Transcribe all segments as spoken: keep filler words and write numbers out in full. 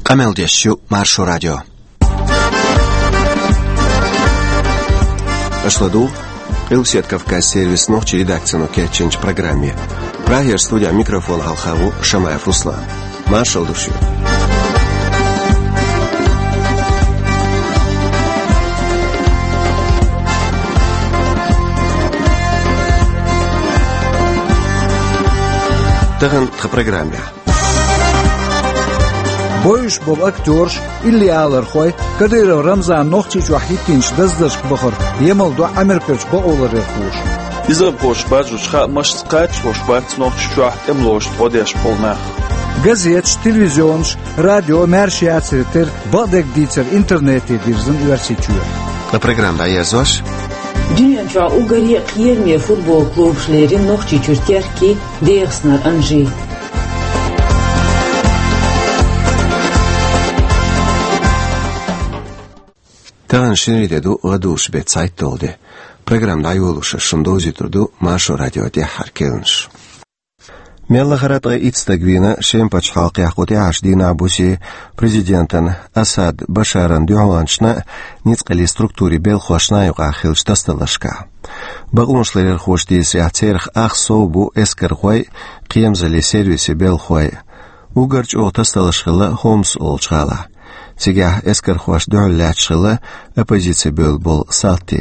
Къамел деш ю Маршо радио. Аша ладугӀу Къилбаседа Кавказан сервисан нохчийн редакцино кечйинчу программе. Прагера студехь микрофон хьалха ву Шамаев Руслан. Маршалла ду шуьга. Тахана тхан программехь. Бовзуш болу актёраш, иллиалархой, Кадыров Рамзан Нохчийчохь хӀиттийначу даздаршка бахар емал до Ӏамеркарчу бакъоларъярхоша. Иза бохуш бажучу хаамашца кхачош бац Нохчийчохь тӀемалошца гӀо деш болу нах. Газеташ, телевизионаш, радио маьрша яцаре терра, бакъдерг дийцар интернете дирзина Оьрсийчоь. Ткъа программа дӀаерзош. Дуьнен чохь уггаре а кхераме футбол клубаш лерина Нохчийчуьра Теркий, ДегӀастанара Анжи. Тахана шинарин де ду, гӀадужу беттан цхьайтталгӀа де. Программа дӀайолош ас шуна довзуьйтур ду Маршо радион тӀаьххьара кхаьънаш. Мел лахара а ткъе итт стаг вийна Шеман пачхьалкхехь кху тӀаьххьарчу дийнахь бусе президентан Асад Башаран дуьхьалончашна а, ницкъаллин структурийн белхахошна а юкъахь хиллачу тасадаларшкахь. Бакъонашларъярхоша дийцарехь, церах ах сов бу эскархой а, кхерамзаллин сервисийн белхахой а. Уггар чӀогӀа тасадаларш хилла Хомс олучу гӀалахь. Цигахь эскархошна дуьхьал лаьтташ хилла оппозици бевлла болу салти.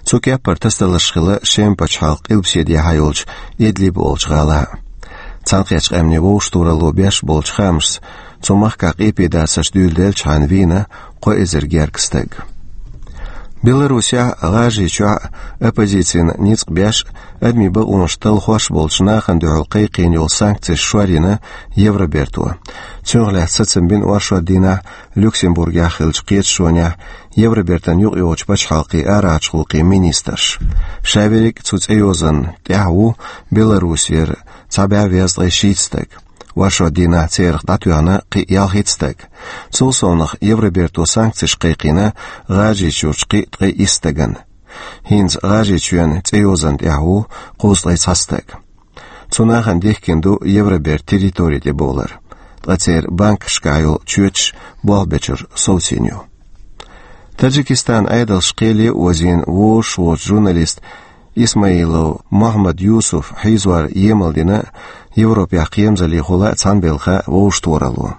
Цу кеппара тасадаларш хилла Шеман пачхьалкхан къилбаседехьа йолчу Идлиб олучу гӀалахь. Цхьаьнакхеттачу Къаьмнийн Вовшахтохаралло беш болчу хаамашца, цу махкахь къепедацарш дуьйладелчхьана вийна кхо эзар гергга стаг. Беларусехь а, ГӀажарийчохь а оппозицина ницкъ беш а, адамийн бакъонаш талхош а болчу нахана дуьхьал кхайкхийна йолу санкцеш шорйина Евроберто. Цунах лаьцна сацам бина оршот дийнахь Люксембургехь хиллачу кхеташонехь Евробертан юкъайогӀучу пачхьалкхийн арахьарчу гӀуллакхийн министрша. Ша верриг а цу цӀейозанна тӀехь ву Беларусера цхьа бӀе везткъе шийтта стаг. Оршот дийнахь церах дӀатоьхна кхин а ялхитта стаг. Цул совнаха Евроберто санкцеш кхайкхийна ГӀажарийчуьрчу кхин а ткъе исс стагана. ХӀинца ГӀажарийчоьнан цӀейозанна тӀехь ву кхузткъе цхьа стаг. Цу нахана дихкина ду Евробертан территори тӀе бовлар, ткъа церан банкашкахь йолу чоьташ болх бечуьра совцийна ю. Таджикистанан Ӏедалша кхеле а озийна, вожаш воцу журналист Исмаилов Мохьмад Юсуф хьийзор емал дина Европехь кхерамзаллехула а, цхьаьнабелхахула а Вовшахтохаралло.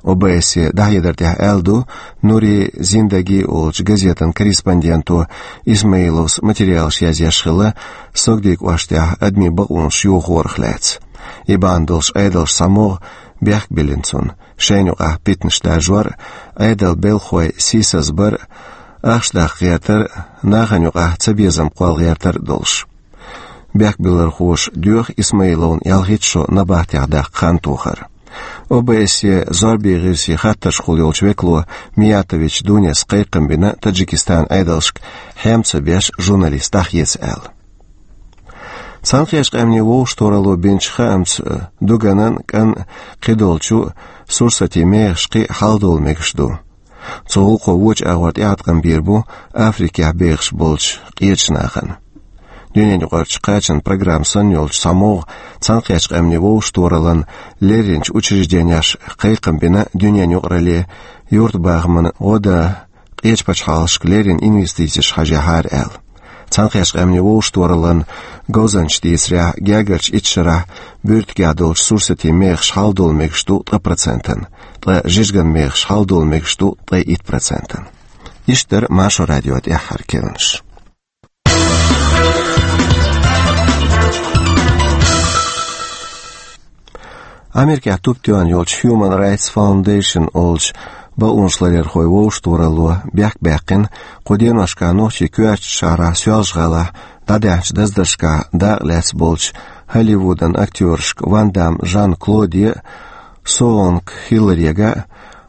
О Б С Е дӀахьедар тӀехь аьлла ду, Нури Зиндаги олучу газетан корреспонденто Исмаиловс материалаш язъеш хилла Согди кӀоштехь адамийн бакъонаш йохорах лаьцна. И бахьана долуш Ӏедалша цхьа могӀа бехк биллина цунна, шайна юкъахь питанаш даржор а, Ӏедалан белхахой сийсаз бар а, ахча даккха гӀертар а, нахана юкъахь цабезам кхолла гӀертар а долуш. Бехкбиллархоша доьху Исмаиловна ялхитта шо набахтехь даккха хан тохар. О Б С Е зорбан гӀирсийн хаттаршкахула йолчу векало Миятович Дунес кхайкхам бина Таджикистанан Ӏедалшка хьем ца беш журналист дӀахеца аьлла. Цхьаьнакхеттачу Къаьмнийн Вовшахтохаралло бинчу хаамца, дуганан а, кӀанан а, кхидолчу а сурсатийн мехаш кхин а хьалдовла мегаш ду. Цу гӀуллакхо вочу агӀор тӀеӀаткъам бийр бу Африкехь бехаш болчу къечу нахана. Дуьненаюкъарчу кхачан программа санна йолчу цхьа могӀа Цхьаьнакхеттачу Къаьмнийн Вовшахтохараллан лерринчу учрежденеша кхайкхам бина дуьненаюкъаралле юьртабахаман гӀо дан къечу пачхьалкхашка леррина инвестицеш хьажахьара аьлла. Цхьаьнакхеттачу Къаьмнийн Вовшахтохараллан говзанчаша дийцарехь, гергарчу итт шарахь буьртигехь долчу сурсатийн мехаш хьалдовла мегаш ду ткъа процентана, ткъа жижиган мехаш хьалдовла мегаш ду ткъе итт процентана. Иштта дара Маршо радион тӀаьххьара кхаьънаш. Америкехь тупа тоьхна йолчу Human Rights Foundation олучу бакъонашларъярхойн вовшахтохаралло бехк баьккхина, кху деношкахь нохчийн коьртачу шахьарахь Соьлжа-ГӀалахь дӀадаьхьначу даздаршкахь дакъа лаьцна болчу Холливудан актёрашка Ван Дамм Жан-Клоде а, Суонг Хилларига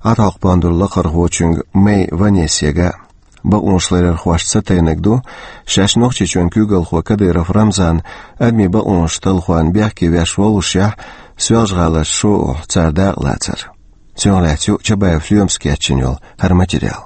а, ӀатӀахьокху-Бондуран Лакхархочуьнга Мэй Ванессега а. Бакъонашларъярхошца ца тайнарг ду, шаьш Нохчийчоьнан куьйгалхо Кадыров Рамзан адамийн бакъонаш талхорна бехке веш воллушехь, Соьлжа-ГӀаларчу шоушхахь цара дакъа лацар. Цунах лаьцна ю Чабаев Лоьмас кечйина йолу хӀара материал.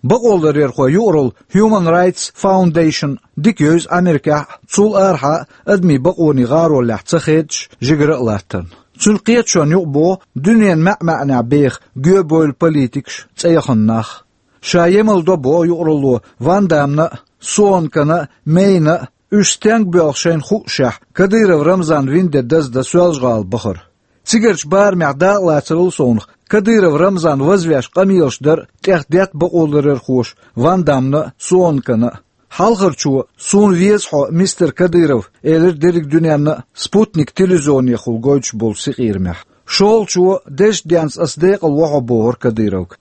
Бакъоларъярхойн юкъаралла Human Rights Foundation дика йовза Америкехь а, цул арахьа а адамийн бакъонийн гӀаролехь ца хедаш, жигара а латтарна. Цуьнан кхеташонна юкъа боху дуьненан маьӀ-маьӀнехь беха гоьбевлла политикаш, цӀе яхана нах. Ша емал до боху юкъаралло Ван Дамна а, Суонкана а, Мейна а, уьш стенга боьлху шайна хуушехь, Кадыров Рамзан вина де даздан Соьлжа-ГӀала бахар. Цигарчу барамехь дакъалацарал совнах, Кадыров Рамзан вазвеш къамелаш дар а тӀехдетта бакъоларъярхоша Ван Дамна а, Суонкана а. Хьалхарчо: «Суна веза хьо, мистер Кадыров», — элира дерриг дуьненна а «Спутник» телевизионехула гойтуш болчу синкъерамехь. ШолгӀачо: «Дезачу денца ас декъала во хьо», — бохура Кадыровга.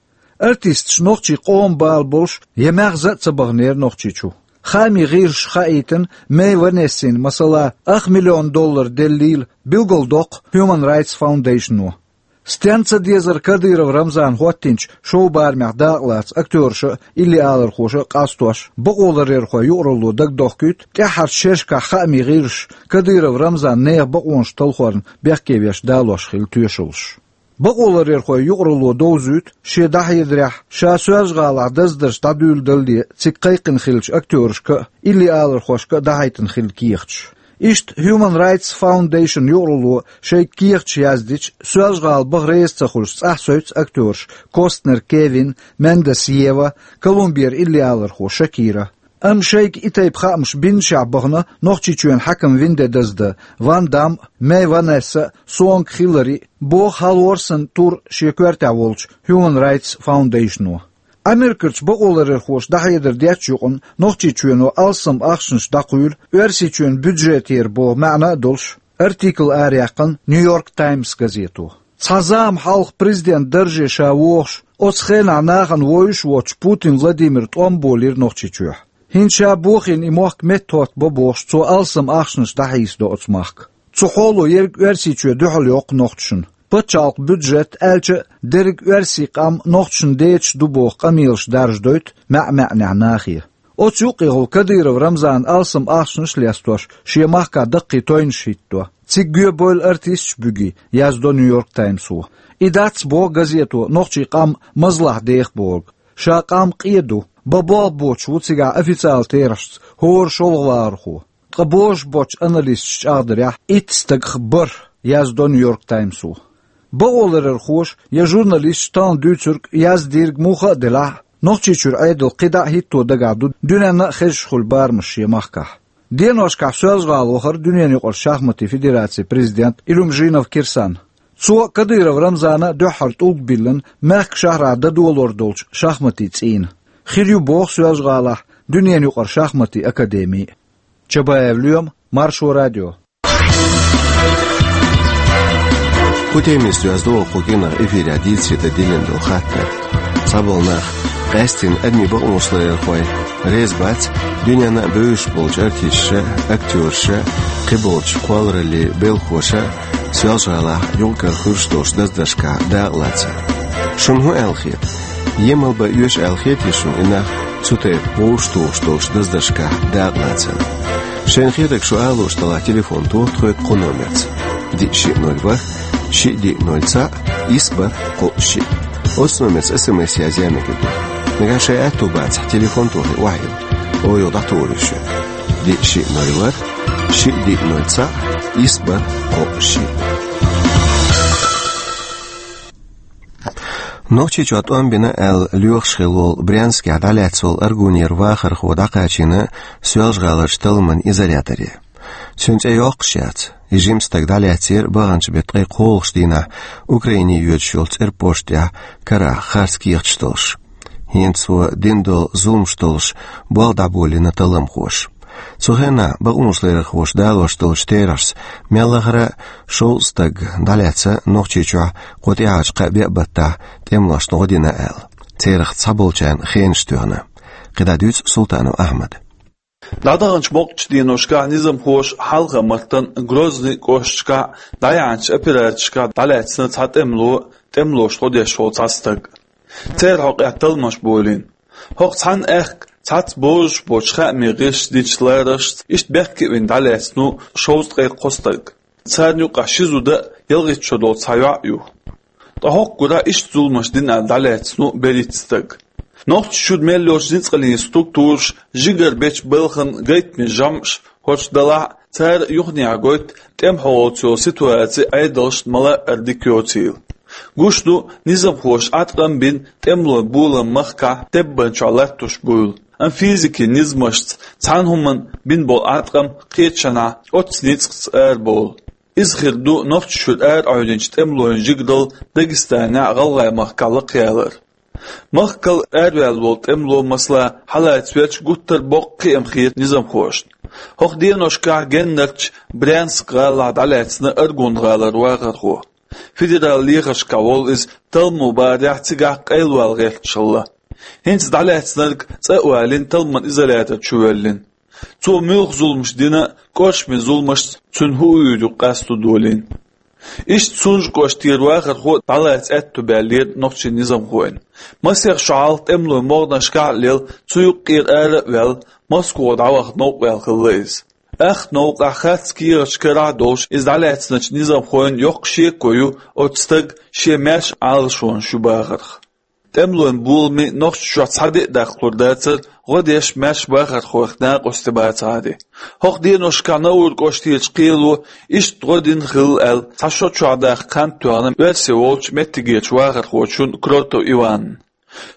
Артисташ нохчийн къоман бала болуш я маьхза а ца баханера Нохчийчу. Хаамийн гӀирсаша хаийтина Мэй Ванессина, масала, ах миллион доллар деллийла, билгалдоккху Human Rights Foundation-о. Стенна ца дезара Кадыров Рамзана хӀоттийначу шоу-барамехь дакъалаца актёраша а, илли алархоша а къастош, бакъоларъярхойн юкъаралло дагадохкуьйту тӀаьххьарчу шерашкахь хаамийн гӀирсаша Кадыров Рамзанан нехан бакъонаш талхорна бехке веш далош хилла тоьшаллаш. Бакъоларъярхойн юкъаралло довзуьйту, шен дӀахьедарехь, ша Соьлжа-ГӀалахь даздарш дӀадуьйладалале цига кхайкхина хиллачу актёрашка а, илли алархошка а дӀахьийтина хилла кехаташ. Иштта Human Rights Foundation юкъаралло шайга кехаташ яздича, Соьлжа-ГӀала баха реза ца хуьлуш цӀахь севцу актёраш Костнер Кевин, Мендес Ева, Колумбера илли алархо Шакира. Амма шайга и тайпа хаамаш бинчохь бахана Нохчийчоьнан хьаькам вина де даздан Ван Дам а, Мэй Ванесса а, Суонка Хиллари а, боху хьалхара санна тур шен коьртехь волчу Human Rights Foundation-о. Америкерчу бакъоларъярхоша дӀахьедар деттачу юкъана Нохчийчоьно алсам ахчанаш дӀакхуьйлу, Оьрсийчоьнан бюджетера боху маьӀна а долуш, артикл араяьккхина Нью-Йорк Таймс газето. Цхьа зама хьалха президент дарже ша вогӀуш, оцу хенахь нахана вовзуш воцчу Путин Владимира тӀом болийра Нохчийчохь. ХӀинца ша бохийна и мохк меттахӀоттабо бохуш, цо алсам ахчанаш дӀахьийсадо оцу махка. Цу хьоло ерриг Оьрсийчоь дуьхьал йоккху нохчашна. Пачхьалкхан бюджет, аьлча а, дерриг оьрсийн къам нохчашна децаш ду боху къамелаш даржадойту маьӀ-маьӀнехь нахе. Оцу юккъехула Кадыров Рамзанан алсам ахчанаш а лестош, шен махкахь даккхий тойнаш хӀиттадо. Цига гоьбевлла артисташ а буьгий, яздо Нью-Йорк Таймсо. И дац, боху газето, нохчийн къам мазлахь деха бохург. Ша къам къен ду, бан болх боцуш ву цигахь официалан терахьашца хӀора шолгӀа вахархо. Ткъа божуш боцчу аналисташа чӀагӀдарехь, итт стагах бархӀ, яздо Нью-Йорк Таймсо. Бакъоларъярхоша я журналисташа тахана дуьйцург, яздийриг муха а делахь, Нохчийчуьра Ӏедал кхидӀа а хӀитто дагахь ду дуьненна а хезаш хуьлу барамаш шен махкахь. Деношкахь Соьлжа-ГӀала вахара дуьненаюкъарчу шахматийн федерацин президент Илюмжинов Кирсан. Цо Кадыров Рамзана дуьххьара тӀулг биллина мехкан шахьарахь дан долор долчу шахматийн цӀийнан. Хир ю боху Соьлжа-ГӀалахь дуьненаюкъара шахматийн академи. Чабаев Лоьма, Маршо радио. ХӀун темица доьзна ду кху кӀиранах эфирехь дийцаре дан диллина долу хаттар? Цхьаболу нах, къаьсттина адамийн бакъонаш ларъярхой, реза бац дуьненна а бевзаш болчу артисташа, актёраша, кхиболчу кхоллараллин белхахоша Соьлжа-ГӀалахь юкъ-кара хуьлуш долчу даздаршкахь дакъалацар. Шуна хӀун аьлла хета? Емал бан оьшу аьлла хетий шуна и нах цу тайпа вовшахтухуш долчу даздаршкахь дакъалацарна? Шайна хетарг шу алуш далахь, телефон тоха тхоьга кху номерца: диъ шиъ ноль ворхӀ, шиъ диъ ноль цхьаъ, исс бархӀ кхоъ шиъ. Оцу номерца эс эм эс язъян мегар ду. Нагахь шайн аьтто бацахь, телефон тохий, охьайилла. Оха юха дӀатухур ю шуьга. Диъ шиъ ноль ворхӀ, шиъ диъ ноль цхьаъ, исс бархӀ кхоъ шиъ. Нохчийчохь тӀом бина аьлла лоьхуш хилла волу Брянскехь дӀалаьцна волу аргунера вахархо дӀакхачийна Соьлжа-ГӀаларчу талламан изоляторе. Цуьнан цӀе йоккхуш яц. И жима стаг дӀалаьцнера баханчу беттан ткъе кхоалгӀачу дийнахь Украине йоьдуш йолу цӀерпошта тӀехь карахь харц кехаташ долуш. ХӀинца цо дина долу зуламаш долуш болх дӀаболийна талламхоша. Цу хенахь бакъонаш ларъярхоша далош долчу терахьашца, мел лахара а шовзткъа стаг дӀалаьцна Нохчийчохь кху тӀаьхьарчу кхаа-биъ баттахь тӀемалошна гӀо дина аьлла. Церах цхьаболчарна хенаш тоьхна. КхидӀа дуьйцу Султанов Ахьмада. ДӀадаханчу боккхачу деношкахь низамхоша хьалха-маттана Грозный кӀошташкахь дӀаяьхьначу операцешкахь дӀалаьцна цхьа тӀемало, тӀемалошна гӀо деш волу цхьа стаг. Церан хьокъехь талламаш болийна. ХӀокху цхьана аьхка цхьацца божуш боцу хаамийн гӀирсаша динчу лараршца, иштта бехке а вина дӀалаьцна ву шовзткъе кхо стаг. Царна юкъахь ши зуда а, ялхитта шо долу цхьа йоӀ а ю. Ткъа хӀокху гурахь иштта зуламаш дина аьлла дӀалаьцна ву берхӀитта стаг. Нохчийчуьра мел йолчу ницкъаллин структураша жигара бечу балхана гайтамийн жамӀаш ХӀорш далахь а, цара юханехьа гойту тӀемахьолца йолу ситуаци Ӏедалшна мала а ара дика йоцийла. Гуш ду, низамхоша Ӏаткъам бина тӀемалойн болам махкахь теббанчохь латтош буйла. Амма физикин низамашца цхьана хӀуманна бина болу Ӏаткъам кхечанхьа оццу ницкъаца арабовлу. Иза хир ду Нохчийчуьра араӀевдинчу тӀемалойн жигаралла Дагестанехь а, ГӀалгӀай махкахь а лакхаялар. Махкал араваьлла волу тӀемало, масала, хьалаца верг гуттар а боккха кхиам хета низамхошна. ХӀокху деношкахь Геннарчу Брянск-гӀалахь дӀалаьцна Аргун-гӀалара вахархо. Федералан лехаршкахь волу иза, талламо бахарехь, цигахь къайлавала гӀерташ хилла. ХӀинца дӀалаьцнарг цӀа а валийна, талламан изолятор чу воьллина. Цо муьлха зуламаш дина а, кӀоршаме зуламашца цуьнан хӀуъа юкъа къасто долийна. Иштта Сунжа кӀоштара вахархо а дӀалаца аьтто баьллера нохчийн низамхойн. Масех шо хьалха тӀемалойн могӀанашкахь а лела, цу юккъера ара а ваьлла, Москвахь дӀаваха новкъа ваьлла хилла иза. Ахта новкъахь, харц кехаташ карахь а долуш, иза дӀалаьцначу низамхойн йоккха шеко ю оцу стага шен маьрша Ӏалашонаш ю бахарх. ТӀемалойн боламийн Нохчийчохь цхьа де а даккхалур дацара, гӀо деш маьрша бахархойх накъостий бацахьара. ХӀокху деношкахь Науран кӀоштерчу кхело иштта гӀо дина хилла аьлла, цхьа шо чохь-даккха хан тоьхна Оьрсийчоь волчу меттигерчу вахархочунна Кротов Иванна.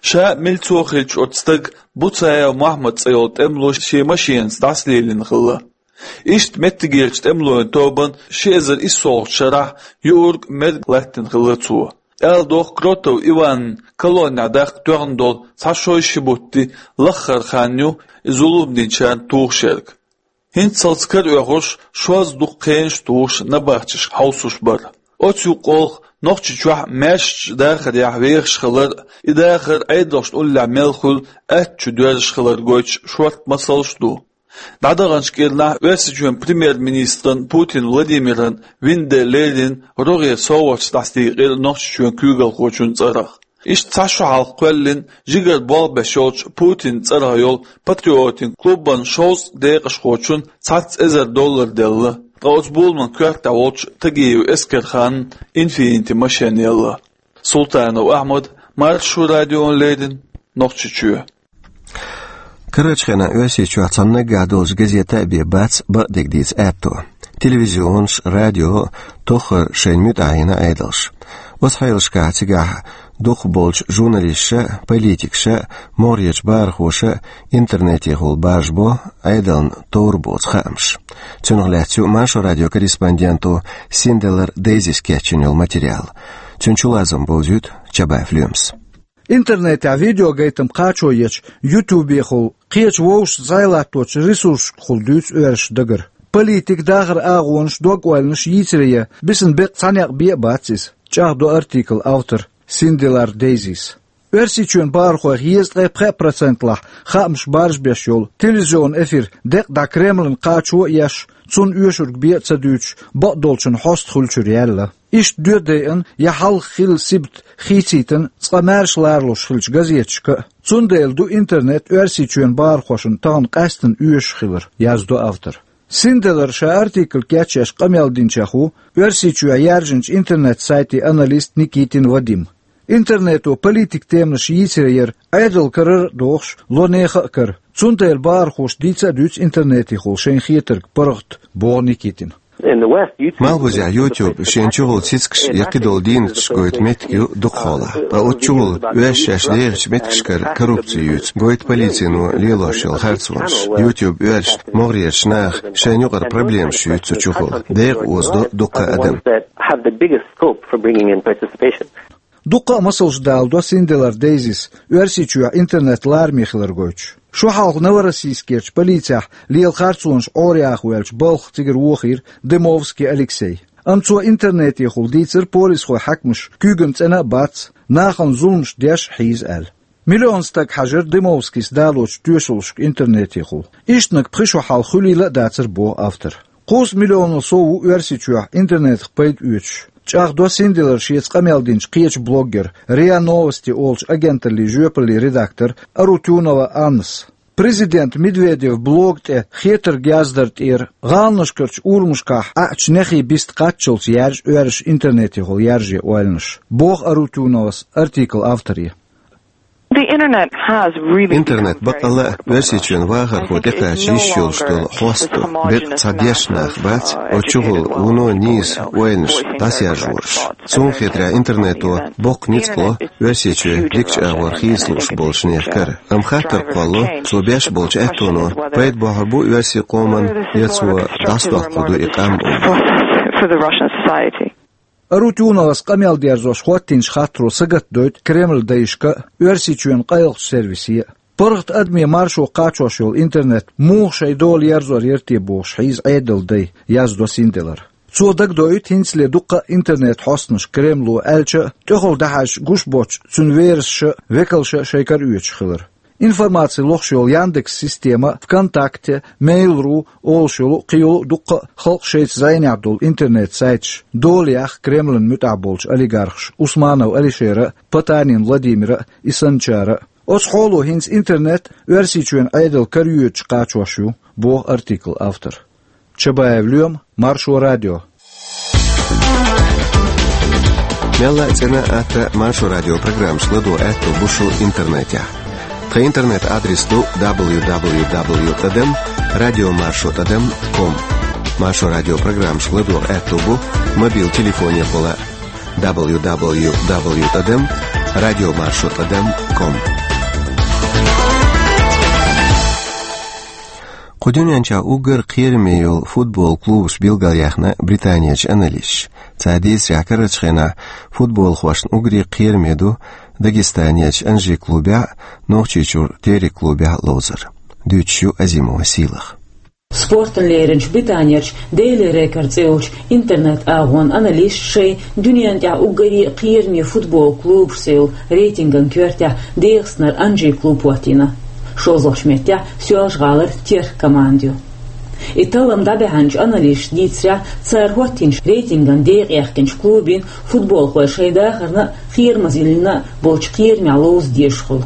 Ша а, милцо хиллачу оцу стага Буцаев Мохьмад цӀе йолу тӀемало шен машенаца дӀасалелийна хилла. Иштта меттигерчу тӀемалойн тобанна ши эзар иссолгӀачу шарахь юург, мерг латтийна хилла цо. Ала догӀу, Кротов Иванна колоннехь даккха тоьхна долу цхьа шо ши бутт лаххара хан ю и зулам динчарна тухуш ерг. ХӀинццалц караоьхуш, шозза дукха хенаш а тухуш, набахтешка хьовсуш бара. Оцу юкъахь Нохчийчохь маьршачу дахарехь вехаш хилар а, и дахар Ӏедалшна уллехь мел хуьлу атта чу доьрзуш хилар гойтуш шорта масалш а ду. ДӀадаханчу кӀирнахь Оьрсийчоьнан премьер-министран Путин Владимиран вин де леррина рогӀера совгӀаташ дӀасадийкъира Нохчийчоьнан куьйгалхочун цӀарах. Иштта цхьа шо хьалха кхоьллина жигара болх беш йолчу Путинан цӀарах йолу патриотийн клубан шовзткъа декъашхочунна цхьацца эзар доллар делла, ткъа оцу боламан коьртехь волчу Тагиев Эскерханна «Инфинити» машен елла. Султанов Ахьмад, Маршо радиона леррина, Нохчийчоь. Карарчу хенахь Оьрсийчохь цхьана наггахь долчу газета а бен бац бакъдерг дийца аьтто. Телевизионаш, радио а тоххара шайна муьтӀахь йина Ӏедалша. Оцу хьелашкахь цигахь дукхахболчу журналисташа а, политикаша а, могӀарерчу бахархоша а интернетехула баржабо Ӏедална товр боцу хаамаш. Цунах лаьцна ю Маршо радион корреспонденто Синделар Дейзис кечйина йолу материал. Цуьнан чулазам бовзуьйту Чабаев Лоьмас. Интернетехь видеогайтам кхачо ечу YouTube-ехула, кхечу вовшашца зӀе латточу ресурсашкахула дуьйцу оьрсаша дагара. Политика, дахаран агӀонаш, дог-ойланаш йийцаре ян бисина беккъа цхьа некъ бен а бац иза, чӀагӀдо артиклан автора Синделар Дейзис. Оьрсийчоьнан бахархойх езткъе пхеа процентлахь хаамаш баржабеш йолу телевизионан эфир декъа дӀа Кремлана кхачо а еш, цунна оьшург бен а ца дуьйцуш, бакъдолчун хьоста хуьлучуьра яьлла. Иштта доьадайъина я хьалха хилла сибат хийцийтина цкъа маьрша ларалуш хиллачу газеташка а. Цундела ду интернет Оьрсийчоьнан бахархошна тахана къаьстина оьшуш хилар, яздо автора. Синделара ша артикл кечъеш къамел динчех ву Оьрсийчохь яьржинчу интернет-сайтийн аналист Никитин Вадим. Интернето политикан теманаш йийцаре яр Ӏедал карара а дохуш, ло нехан а кара. Цундела бахархоша дийца а дуьйцу интернетехула шайна хетарг паргӀат, боху Никитина. Малхбузехь YouTube шен чухула цицкаш я кхидолу дийнаташ гойту меттиг ю дукхахьолахь. Ткъа оцу чухула оьрсаша шаьш дехачу меттигашкара коррупци юьйцу, гойту полицино лелош йолу харцонаш. YouTube оьрсашна, могӀарерчу наха шайна юкъара проблемаш юьйцу цу чухула. Декъа озадо дуккха а адам. Have the biggest scope for bringing in participation. Дуккха а масалш даладо Синделар Дейзис Оьрсийчохь интернет лараме хилар гойтуш. Шо хьалха Новороссийскерчу полицехь лела харцонаш Ӏораяха воьлча балха цигара вохийра Дымовский Алексей. Амма цо интернетехула дийцира полисхойн хьаькамаша куьйган цӀена а бац, нахана зуламаш деш а хьийза аьлла. Миллион стаг хьажар Дымовскийс далочу тоьшаллашка интернетехула. Ишттаниг пхи шо хьалха хуьлийла а дацара, боху автора. Кхузткъа миллионал сов ву Оьрсийчохь интернетах пайда оьцуш, чӀагӀдо Синделара шеца къамел динчу кхечу блоггера, РИА Новости олучу агенталлин жоьпаллин редактора Арутюнова Аннас. Президент Медведев блог тӀе хетарг яздар тӀера гӀаланашкарчу урамашкахь Ӏаьачу нехий бист кхаччалц яьржа оьрсаша интернетехула яржае ойланаш, боху Арутюновас артиклан авторе. The internet has really Интернет бакъалла а Оьрсийчоьнан вахархо тӀекхача йиш йолуш долу хьоста ду. Бекъа цхьа дешна нах бац, оцу чухула вуно нийса ойланаш дӀасаяржораш. Суна хетарехь, интернето боккха ницкъ ло Оьрсийчоь дикачу агӀор хийца лууш болчу нехан кара. Амма хаттар кхоллало, цо беш болчу аьттоно пайда бохьур бу оьрсийн къоман, я цо дӀасадоккхур ду и къам олуш. Арутюновас къамел дерзош хӀоттийначу хаттаро сагатдойту Кремлан дайшка а, Оьрсийчоьнан къайлахчу сервисе а. ПаргӀат адамийн маршо кхачош йолу интернет муха шайн дола ерзор яра те бохуш хьийза Ӏедалан дай, яздо Синделара. Цо дагадоуьйту хӀинцале дуккха а интернет-хьостанаш Кремло аьлча а, тӀехула дӀахьаьжча гуш боцчу цуьнан верасаша а, векалша а шайн кара оьцуш хилар. Информаци лохуш йолу Яндекс система а, ВКонтакте, Mail.ru олуш йолу а, кхин йолу а дуккха а халкъан шайца зӀенехь долу интернет-сайташ дола яхна Кремлан муьтӀахь болчу олигархаша Усманов Алишера а, Потанин Владимира а, Исанчара а. Оцу хьоло хӀинца интернет Оьрсийчоьнан Ӏедалан кара йоьдуш кхачош ю, боху артиклан автора. Чабаев Лоьма, Маршо радио. Мелла а цӀена а, атта а Маршо радион программаш ладогӀа аьтто бу шун интернетехь. Тхан интернет-адрес ду дабл ю дабл ю дабл ю тӀадам радио маршо тӀадам ком. Маршо радион программаш ладогӀа аьтто бу мобил телефонехула дабл ю дабл ю дабл ю тӀадам радио маршо тӀадам ком. Кху дуьнен чохь уггар кхераме йолу футбол клубаш билгалъяьхна Британерчу аналисташа. Цара дийцарехь, карарчу хенахь футболхошна уггаре кхераме ду Дагестанерчу Анжи клубехь а, Нохчийчуьра Терек клубехь а ловзар. Дуьйцуш ю Азимова Сийлаха. Спортана леринчу Британерчу Daily Record цӀе йолчу интернет-агӀонан аналисташа шайн дуьнен тӀехь уггаре а кхераме футбол клубашца йолу рейтинган коьртехь ДегӀастанара Анжи клуб хӀоттийна. ШолгӀачу меттехь Соьлжа-ГӀалара Терк команда ю. И таллам дӀабаьхьначу аналисташа дийцарехь, цара хӀоттийначу рейтинган декъехкинчу клубийн футболхой шайн дахарна а, кхерамазаллина а болчу кхерамехь ловза дезаш хуьлу.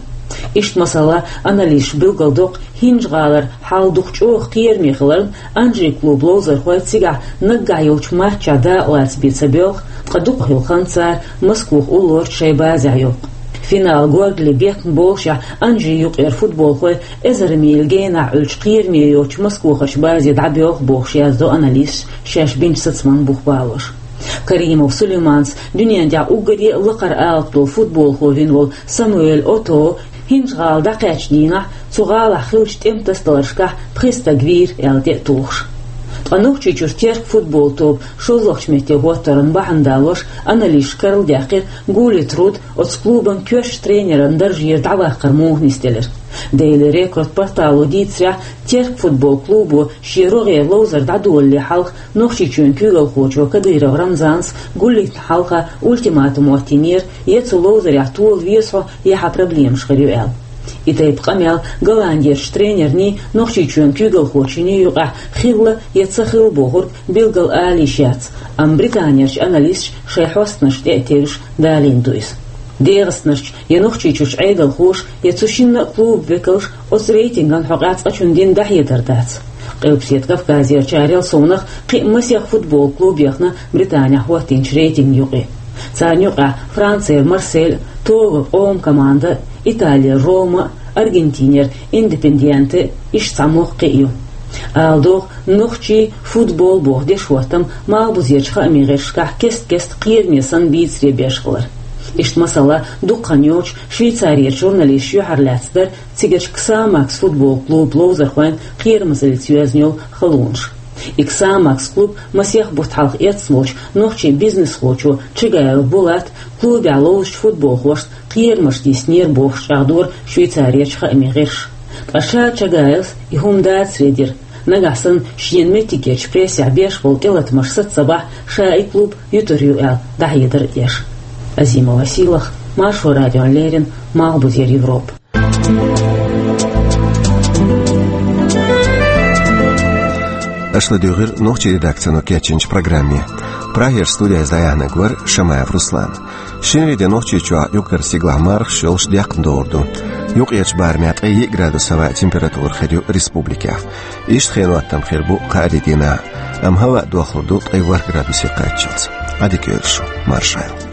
Иштта, масала, аналисташа билгалдоккху ХӀинжа-ГӀалара хьал дукха чӀогӀа кхераме хиларна, Анжи клубан ловзархой цигахь наггахь йолчу матчехь дакъалаца бен ца боьлху, ткъа дукха хилла хан цара Москвахь уллорчу шайн базехь йоккху. Финал горгали бехкна болушехь, Анжи юкъера футболхой эзар мийл генахь Ӏуьллучу кхераме йоцучу москвахарчу базе дӀабоьлху бохуш, яздо аналисташа шаьш бинчу сацаман бух балош. Каримов Сулейманца дуьнен тӀехь уггаре а лакхара алапа долу футболхо вина волу Самуэль Ото ХӀинжа-ГӀала дӀакхаьчначу дийнахь цу гӀалахь хиллачу тӀеман тасадаларшкахь пхи стаг вийра аьлла тӀе а тухуш. Ткъа Нохчийчуьра Терк футбол тоба шолгӀачу метте хӀоттаран бахьана далош, аналисташа карладаьккхира Гулли Труд оцу клубан коьртачу тренеран даржера дӀаваккхар муха нисделира. Daily Record портало дийцарехь, Терк футбол клубо шен рогӀера ловзар дӀадолале хьалха Нохчийчоьнан куьйгалхочо Кадыров Рамзанца Гуллитна хьалха ультиматум хӀоттийнера, я цу ловзарехь тола веза хьо, я хьан проблемаш хир ю аьлла. И тайпа къамел Голландерчу тренерний, Нохчийчоьнан куьйгалхочуьний юкъахь хилла я ца хилла бохург билггал ала йиш яц, амма Британерчу аналисташа шайн хьостанашна тӀе а тевжаш далийна ду иза. ДегӀастанарчу я Нохчийчуьрчу Ӏедалхоша, я цу шинна а клубан векалша оцу рейтинган хьокъехь цкъачунна дина дӀахьедар дац. Къилбаседа Кавказерчарел совнаха кхин а масех футбол клуб яхна Британехь хӀоттийначу рейтинган юкъе. Царна юкъахь Францера Марсель, Тоган къоман команда, Италера Рома, Аргентинера Индепендьенте, иштта цхьа мохк кхин а ю. Ала догӀу, нохчийн футбол боху дешхӀоттам малхбузерчу хаамийн гӀирсашкахь кест-кеста кхераме санна бийцаре беш хилар. Иштта, масала, дукха хан йоцуш Швейцарерчу журналисташа юьхьарлаьцна дара цигарчу Ксамакс футбол клубан ловзархойн кхерамазаллица йоьзна йолу халонаш. И Ксамакс клуб масех бутт хьалха эцна волчу нохчийн бизнесхочо Чагаев Булата клубехь ловзучу футболхошна кхерамаш диснера бохуш чӀагӀдора Швейцарерчу хаамийн гӀирсаша. Ткъа ша Чагаевс и хӀума дацаре дира. Нагахь санна шена меттигерчу прессехь беш болу тӀелатамаш саца ца бахь, ша и клуб ютур ю аьлла дӀахьедар а деш. Азимова Сийлаха, Маршо радиона леррина, Малхбузера Европа. Аша ладуьйгӀира нохчийн редакцино кечйинчу программе. Прагера студехь дӀаяьхьнарг вара Шамаев Руслан. Шинарин де Нохчийчохь юкъара стигалахь мархаш йолуш декхна догӀур ду. Юкъерчу барамехь ткъе йиъ градус хӀаваан температура хир ю республикехь. Иштта хенан хӀоттам хир бу кхаарин дийнахь, амма хӀаваъ дохлур ду ткъе ворхӀ градусе кхаччалц. Ӏадика йойла шу, маршалла.